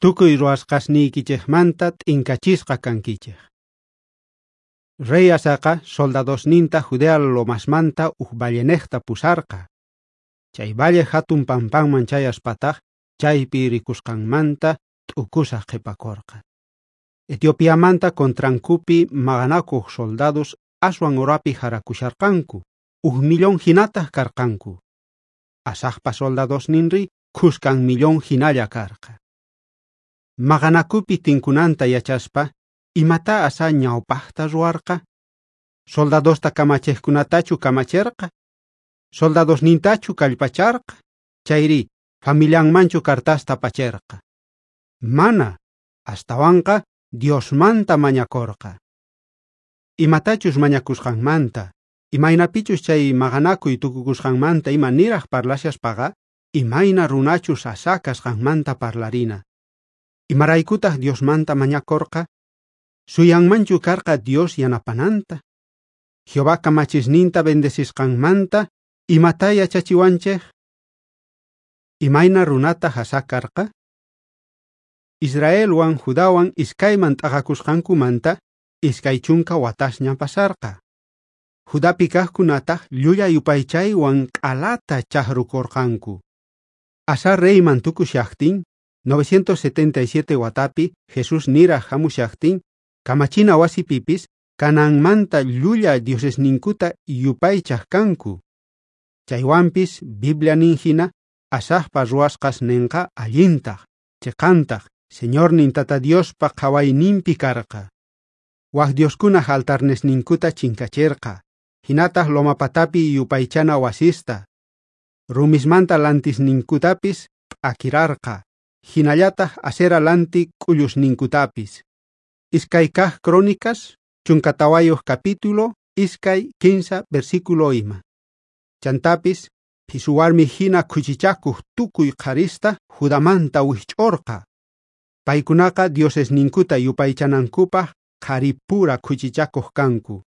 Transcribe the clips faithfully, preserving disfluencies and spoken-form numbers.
Tukuy ruwasqasniykichejmanta t'inkachisqa kankichej. Rey Asaqa soldadosninta Judea lomasmanta uj vallenejta pusarqa. Chay valle hatun pampanman chayaspataj chaypi rikusqanmanta t'ukusaj qhipakorqa. Etiopiamanta contrankupi maqanakuq soldados aswan urapi jarakusharqanku, uj millón hinataj karqanku. Asajpa soldadosninri khuskan millón hinalla karqa. Maqanakupi tinkunanta yachaspa, imata Asa ñawpajta ruwarqa? Soldadosta kamachejkunatachu kamacherqa? Soldadosnintachu kallpacharqa? Chayri familianmanchu cartasta pacherqa? Mana, astawanqa Diosmanta mañakorqa. Imatachus mañakusqanmanta, imaynapichus chay maqanakuy tukukusqanmanta ima niraj parlashaspaqa, imayna runachus Asá kasqanmanta parlarina. Imaraykutaj Diosmanta mañakorqa? Suyanmanchu karqa Dios yanapananta? Jehová kamachisninta bendecisqanmanta, imata yachachiwanchej? Imayna runata Asá karqa? Israelwan Judawan iskayman t'aqakusqankumanta iskay chunka watasña pasarqa. Judapi kajkunataj llulla yupaychaywan q'alata chajrukorqanku. Asá reyman tukushajtin, novecientos setenta y siete watapi Jesús niraj hamushajtin, kamachina wasipipis Canaanmanta llulla diosesninkuta yupaychaj kanku. Chaywanpis Biblia nin hina Asajpa ruwasqasnenqa allintaj, cheqantaj, Señornin Tata Diospa qhawayninpi karqa. Waj dioskunaj altarnesninkuta chinkacherqa, hinataj lomapatapi yupaychana wasista. Rumismanta lantisninkutapis p'akirarqa, hinallataj Asera lanti k'ullusninkutapis. Iskay kaj Crónicas, chunka tawayuq capítulo, iskay kinsa versículo ima. Chantapis, phisuwarmi hina khuchichakuq tukuy qharista Judamanta wijch'orqa. Paykunaqa diosesninkuta yupaychanankupaj qharipura khuchichakuq kanku.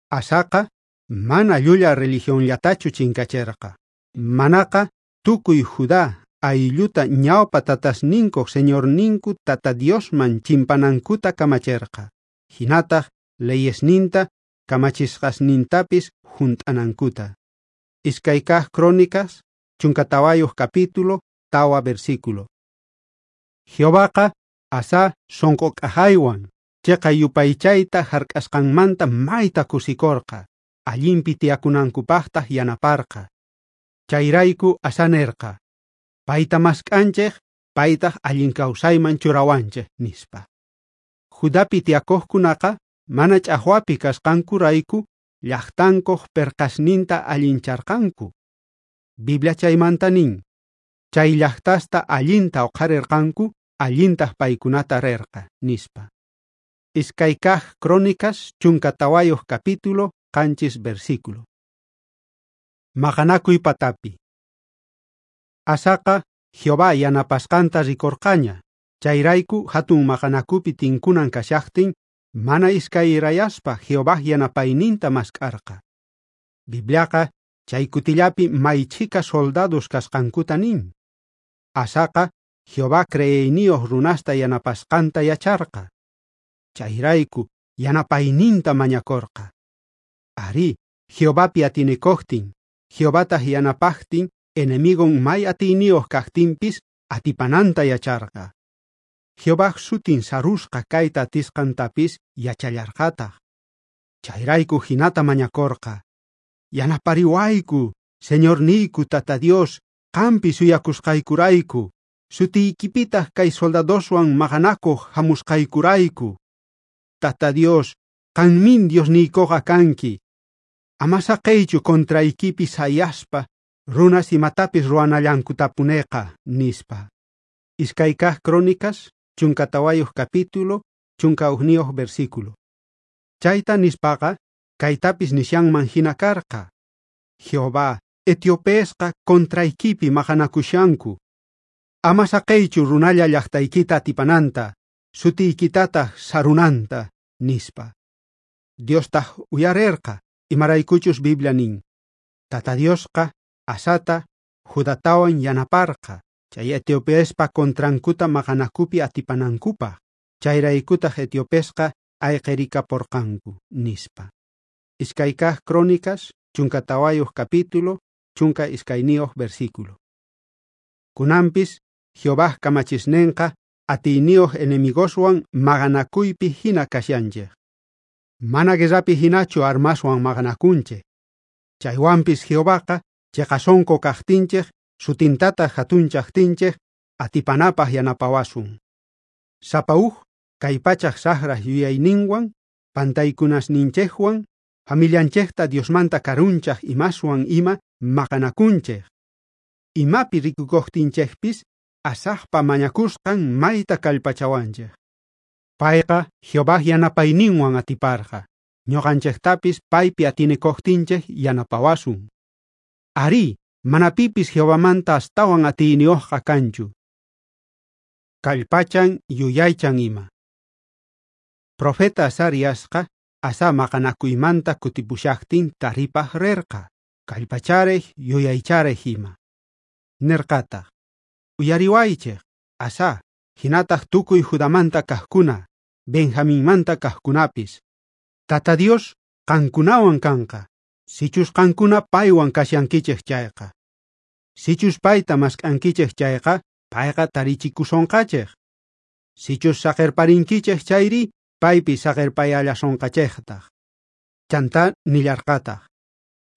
Asaqa mana llulla religionllatachu chinkacherqa. Manaqa tukuy Judá aylluta ñawpa tatasninkuq Señorninku Tata Diosman chimpanankuta kamacherqa. Hinataj leyesninta kamachisqasnintapis junt'anankuta. Iskay kaj Crónicas, chunka tawayuq capítulo, tawa versículo. Jehovaqa Asá sonqo k'ajaywan chiqa yupaychayta hark'asqanmanta mayta kusikorqa, allinpi tiyakunankupaqtaj yanaparqa. Chayrayku Asá nerqa, payta mask'anchej, paytaj allin kawsayman churawanchej, nispa. Judapi tiyakuqkunaqa mana ch'ajwapi kasqankurayku llaqtankuq perqasninta allincharqanku. Biblia chaymanta nin, chay llaqtasta allinta uqharirqanku, allintaj paykunata rerqa, nispa. Iskay kaj Crónicas, chunka tawayuq capítulo, qanchis versículo. Maqanakuy patapi. Asaqa Jehová yanapasqanta rikorqaña, chayrayku hatun maqanakupi tinkunan kashaqtin, mana iskayrayaspa Jehová yanapayninta mask'arqa. Bibliaqa chay kutillapi may chhika soldados kasqankuta nin. Asaqa Jehová creeyniyuq runasta yanapasqanta yacharqa. Chayrayku yanapayninta mañakorqa. Arí, Jehovapi atinikuqtin, Jehovataq yanapaqtin, enemigon may atiyniyuq kaqtinpis atipananta yacharqa. Jehovaj sutin sarusqa kayta atisqantapis yachallarqataq. Chayrayku hinata mañakorqa. Yanapariwayku, Señorniyku Tata Dios, qampi suyakusqaykurayku, sutiykipitaq kay soldadoswan maqanakuq hamusqaykurayku. Tata Dios, qanmin Diosniykuqa kanki. Ama saqeychu contraykipi sayaspa, runas imatapis ruwanallankutapuneqa, nispa. Iskay kaj Crónicas, chunka tawayuq capítulo, chunka ujniyuq versículo. Chayta nispaqa, kaytapis nishanman hina karqa. Jehová, etiopesqa contraykipi maqanakushanku. Ama saqeychu runalla llaqtaykita atipananta, sutiykitataq sarunanta, nispa. Diostaq uyarerqa, imaraykuchus Biblia nin. Tata Diosqa Asata Judatawan yanaparqa, chay etiopiespa contrankuta maqanakupi atipanankupaj, chayraykutaj etiopesqa ayqerikaporqanku, nispa. Iskay kaj Crónicas, chunka tawayuj capítulo, chunka iskayniyuj versículo. Kunampis, Jehová kamachisnenqa atiyniyuj enemigoswan maqanakuypi hina kashanchej. Mana guerrapi hinachu armaswan maqanakunchej. Chaywanpis Jehovaqa cheqasonko kajtinchej, sutintataq jatunchajtinchej, atipanapaj yanapawasun. Sapa uj kay pachaj sajraj yuyayninwan, pantaykunasninchejwan, familianchejta Diosmanta karunchaj imaswan ima maqanakunchej. Imapi rikukojtinchejpis, Asajpa mañakusqan mayta kallpachawanchej. Payqa Jehová yanapayninwan atiparqa. Ñuqanchejtapis paypi atinikojtinchej yanapawasun. Arí, mana pipis Jehovamanta astawan atiyniyojqa kanchu. Kallpachan yuyaychan ima. Profeta Azariasqa Asá maqanakuymanta kutipushajtin taripaj rerqa, kallpacharej yuyaycharej ima. Nerqataj: Uyariwaychej, Asá, hinataj tukuy Judamanta kajkuna, Benjaminmanta kajkunapis. Tata Dios qankunawan kanqa, sichus qankuna paywan kashankichej chayqa. Sichus payta mask'ankichej chayqa, payqa tarichikusonqachej. Sichus saqerparinkichej chayri, paypi saqerpayallasonqachejtaj. Chantá nillarqataj: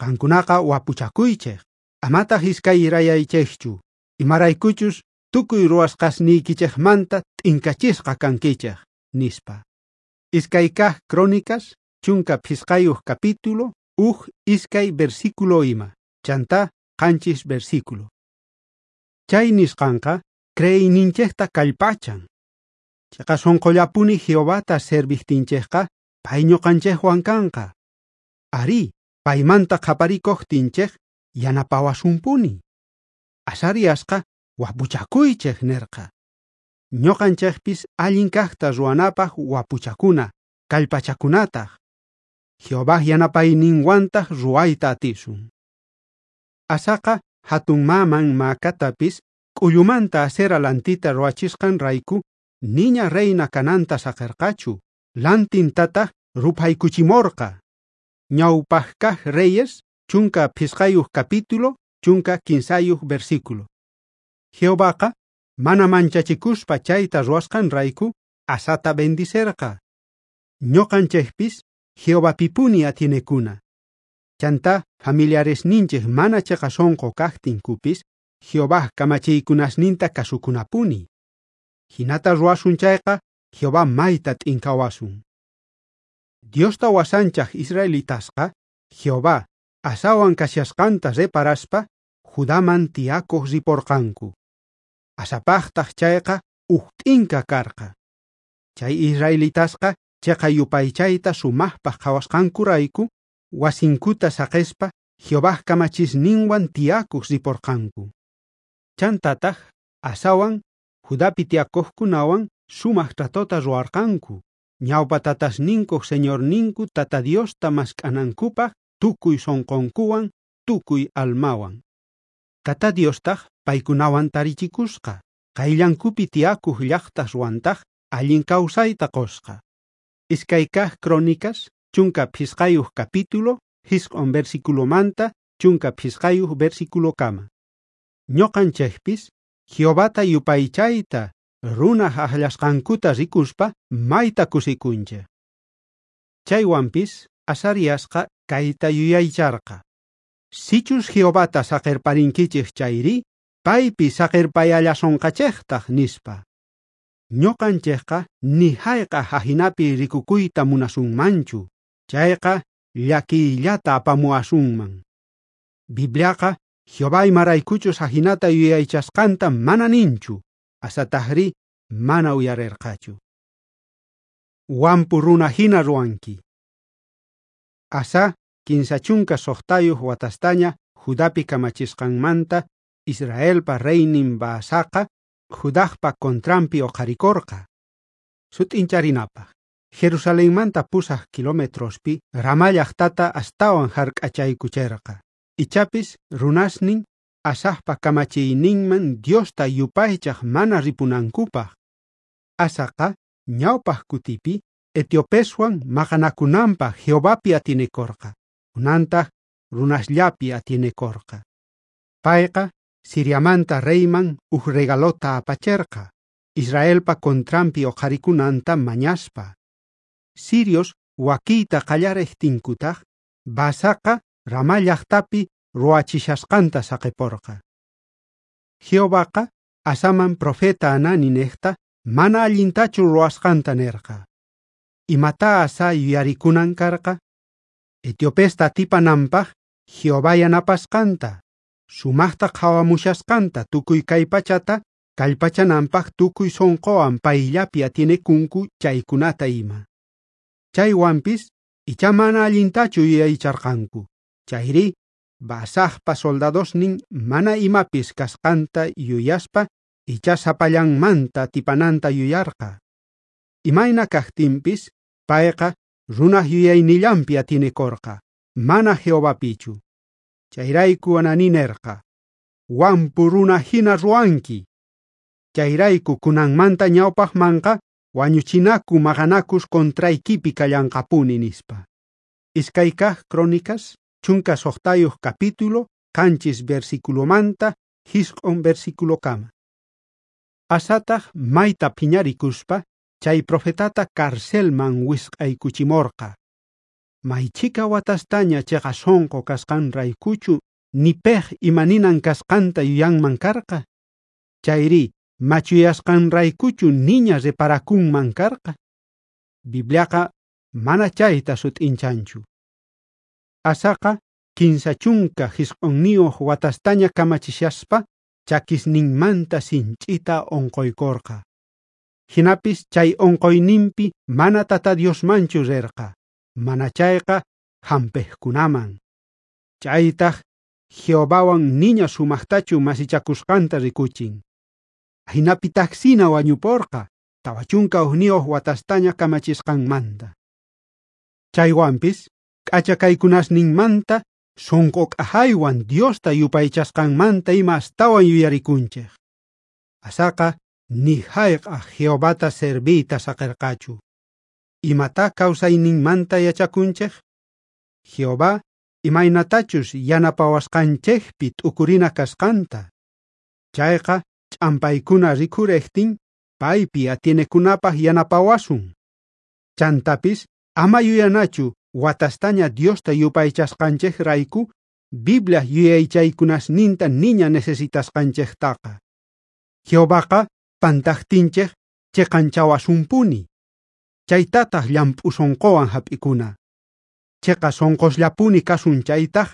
Qankunaqa wapuchakuychej, amataj iskayrayaychejchu, imaraykuchus tukuy ruwasqasniykichejmanta t'inkachisqa kankichej, nispa. Iskay kaj Crónicas, chunka phisqayuj capítulo, uj iskay versículo ima, chantá qanchis versículo. Chay nisqanqa creeyninchejta kallpachan. Cheqa sonqollapuni Jehovata servijtinchejqa pay ñuqanchejwan kanqa. Arí, paymanta qhaparikojtinchej yanapawasunpuni. Azariasqa wapuchakuychej nerqa. Ñuqanchejpis allin kajta ruwanapaj wapuchakuna, kallpachakunataj. Jehová yanapayninwantaj ruwayta atisun. Asaqa hatun maman Maacatapis k'ullumanta Asera lantita ruwachisqanrayku niña reina kananta saqerqachu, lantintataq ruphaykuchimorqa. Ñawpaj kaj Reyes, chunka phisqayuj capítulo, chunka kinsayuj versículo. Jehovaqa mana manchachikuspa chayta ruwasqanrayku Asata bendicerqa. Ñuqanchejpis Jehovapipuni atienekuna. Chantá familiaresninchej mana cheqa sonqo kajtinkupis Jehová kamachiykunasninta kasukunapuni. Hinata ruwasun chayqa Jehová mayta t'inkawasun. Diosta wasanchaj israelitasqa Jehová Asawan kashasqanta reparaspa Judaman tiyakoj riporqanku. Asapajtaj chayqa uj t'inka karqa. Chay israelitasqa cheqa yupaychayta sumajpaj qhawasqankurayku wasinkuta saqespa Jehová kamachisninwan tiyakuj riporqanku. Chantataj Asawan Judapi tiyakojkunawan sumaj tratota ruwarqanku, ñawpa tatasninkoj Señorninku Tata Diosta mask'anankupaj tukuy sonqonkuwan, tukuy almawan. Tata Diostaj paykunawan tarichikusqa, qayllankupi tiyakuj llajtaswantaj allin kawsayta qosqa. Iskay kaj Crónicas, chunka phisqayuj capítulo, jisq'on versiculomanta, chunka phisqayuj versiculokama. Ñuqanchejpis Jehovata yupaychayta runaj ajllasqankuta rikuspa mayta kusikunchej. Chaywanpis Azariasqa kayta yuyaycharqa: Sichus Jehovata saqerparinkichej chayri, paypi saqerpayallasonqachejtaj, nispa. Ñuqanchejqa ni hayk'aj ajinapi rikukuyta munasunmanchu, chayqa llakiyllata apamuwasunman. Bibliaqa Jehová imaraykuchus ajinata yuyaychasqanta mana ninchu, Asatajrí mana uyarerqachu. Wampu runa hina ruwanki. Asá kinsa chunka suqtayuq watastaña Judapi kamachisqanmanta Israelpa reynin Baasaqa Judajpa contranpi oqharikorqa. Sut'incharinapaj, Jerusalenmanta pusaj kilometrospi Ramá llaqtata astawan hark'achaykucherqa. Ichapis runasnin Asajpa kamachiyninman Diosta yupaychaj mana ripunankupaj. Asaqa ñawpaj kutipi etiopeswan maqanakunanpaj Jehovapi atienekorqa, kunantaj runasllapi atienekorqa. Payqa Siriamanta reyman uj regalota apacherqa, Israelpa contranpi oqharikunanta mañaspa. Sirios wakiyta qallarejtinkutaj, Baasaqa Ramá llajtapi ruwachishasqanta saqeporqa. Jehovaqa Asaman profeta Hananinejta mana allintachu ruwasqanta nerqa. Imatá Asa yuyarikunan karqa? Etiopesta atipananpaj Jehová yanapasqanta, sumajta qhawamushasqanta tukuy kay pachata kallpachananpaj tukuy sonqowan payllapi atienekunku chaykunata ima. Chaywanpis ichá mana allintachu yuyaycharqanku, chayri Baasajpa soldadosnin mana imapis kasqanta yuyaspa ichá sapallanmanta atipananta yuyarqa. Imayna kajtinpis payqa runaj yuyaynillanpi atienekorqa, mana Jehovapichu. Chayrayku Hananí nerqa: "Wampu runa hina ruwanki. Chayrayku kunanmanta ñawpajmanqa wañuchinaku maqanakus contraykipi kallanqapuni", nispa. Iskay kaj Crónicas, chunka suqtayuq capítulo, qanchis versiculomanta jisq'on versiculokama. Asataj mayta phiñarikuspa chay profetata carcelman wisq'aykuchimorqa. Maychika watastaña cheqa sonqo kasqanraykuchu ni pej imaninan kasqanta yuyanman karqa. Chayri machuyasqanraykuchu niña reparakunman karqa. Bibliaqa mana chayta sut'inchanchu. Asaqa kinsa chunka jisq'onniyuq watastaña kamachishaspa chakisninmanta sinch'ita onqoykorqa. Jinapis chay onqoyninpi mana Tata Diosmanchu rerqa, mana chayqa hampejkunaman. Chaytaj Jehovawan niña sumajtachu masichakusqanta rikuchin. Ajinapitajsina wañuporqa tawa chunka ujniyuq watastaña kamachisqanmanta. Chaywanpis k'acha kaykunasninmanta sonqo k'ajaywan Diosta yupaychasqanmanta ima astawan yuyarikunchej. Asaqa ni jayk'aj Jehovata serviyta saqerqachu. Imatá kawsayninmanta yachakunchej? Jehová imaynatachus yanapawasqanchejpi t'ukurina kasqanta. Chayqa ch'ampaykuna rikhurejtin paypi atienekunapaj yanapawasun. Chantapis ama yuyanachu watastaña Diosta yupaychasqanchejrayku Biblia yuyaychaykunasninta niña necesitasqanchejtaqa. Jehovaqa pantajtinchej cheqanchawasunpuni. Chaytataj llamp'u sonqowan hap'ikuna. Cheqa sonqosllapuni kasun chaytaj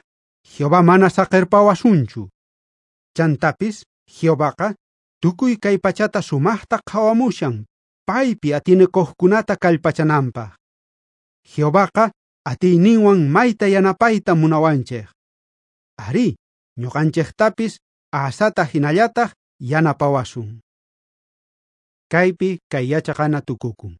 Jehová mana saqerpawasunchu. Chantapis Jehovaqa tukuy kay pachata sumajta qhawamushan paypi atienekuqkunata kallpachananpaj. Jehovaqa atiyninwan mayta yanapayta munawanchej. Arí, ñuqanchejtapis Asata hinallataj yanapawasun. Kaypi kay yachaqana tukukun.